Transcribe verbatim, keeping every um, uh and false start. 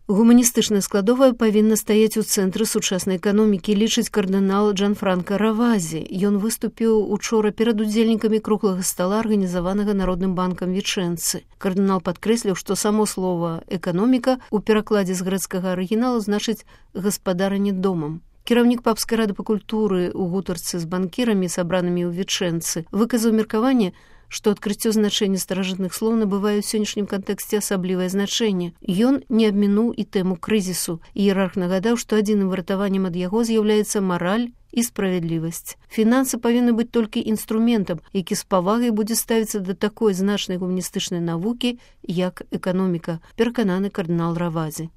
Гуманістычная складовая павінна стаяць у цэнтры сучаснай эканомікі, лічыць кардынал Джанфранка Равазі. Ён выступіў учора перад удзельнікамі круглага стала, арганізаванага Народным банкам Вічэнцы. Кардынал падкрэсліў, што само слова «эканоміка» у перакладзе з грэцкага арыгіналу значыць «гаспадаранне домам». Кіраўнік папскай рады па культуры ў гутарцы з банкірамі, сабранымі ў Вічэнцы, выказаў меркаванне, што адкрыццё значэння старажытных слоў набывае ў сённяшнім кантэксце асаблівае значэнне. Ён не абмінуў і тэму крызісу. Іерарх нагадаў, што адзіным выратаваннем ад яго з'яўляецца мараль і справядлівасць. Фінансы павінны быць толькі інструментам, які з павагай будзе ставіцца да такой значнай гуманістычнай навукі, як эканоміка, перакананы кардынал Равазі.